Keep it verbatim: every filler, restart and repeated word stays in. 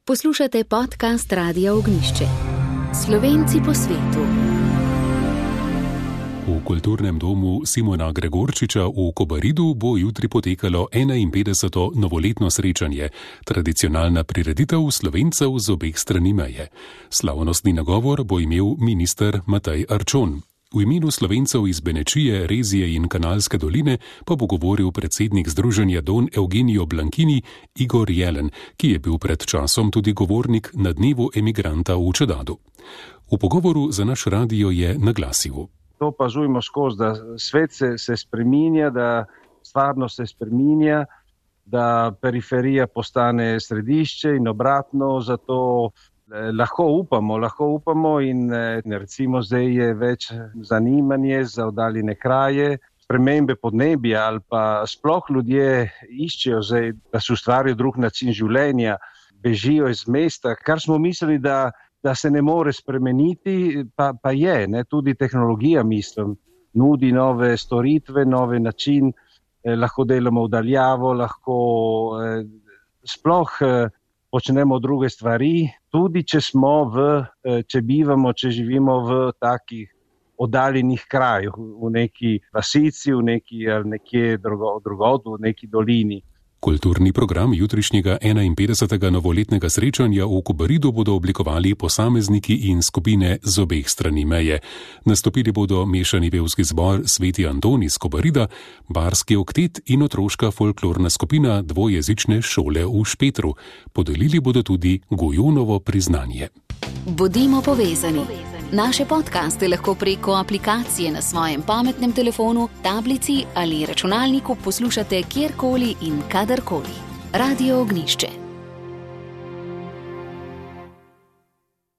Poslušate podcast Radia Ognjišče. Slovenci po svetu. V kulturnem domu Simona Gregorčiča v Kobaridu bo jutri potekalo enainpetdeseto novoletno srečanje, tradicionalna prireditev Slovencev z obeh strani meje. Slavnostni nagovor bo imel minister Matej Arčon. V imenu Slovencev iz Benečije, Rezije in Kanalske doline pa bo govoril predsednik Združenja Don Eugenio Blankini Igor Jelen, ki je bil pred časom tudi govornik na dnevu emigranta v Čedadu. V pogovoru za naš radio je naglasil: To opazujemo skozi, da svet se, se spreminja, da stvarnost se spreminja, da periferija postane središče in obratno, zato eh, lahko upamo, lahko upamo in eh, recimo zdaj je več zanimanje za oddaljene kraje, spremembe podnebja ali pa sploh ljudje iščejo zdaj, da se ustvarijo drug način življenja, bežijo iz mesta, kar smo mislili, da da se ne more spremeniti, pa, pa je, ne, tudi tehnologija, mislim, nudi nove storitve, nove način, eh, lahko delamo vdaljavo, lahko eh, sploh eh, počnemo druge stvari, tudi če smo v, eh, če bivamo, če živimo v takih oddaljenih krajih, v neki vasici, v neki, nekje drugo, drugod, v neki dolini. Kulturni program jutrišnjega enainpetdesetega novoletnega srečanja v Kobaridu bodo oblikovali posamezniki in skupine z obeh strani meje. Nastopili bodo mešani pevski zbor Sveti Anton iz Kobarida, barski oktet in otroška folklorna skupina dvojezične šole v Špetru. Podelili bodo tudi Gojunovo priznanje. Bodimo povezani. Naše podcaste lahko preko aplikacije na svojem pametnem telefonu, tablici ali računalniku poslušate kjerkoli in kadarkoli. Radio Ognjišče.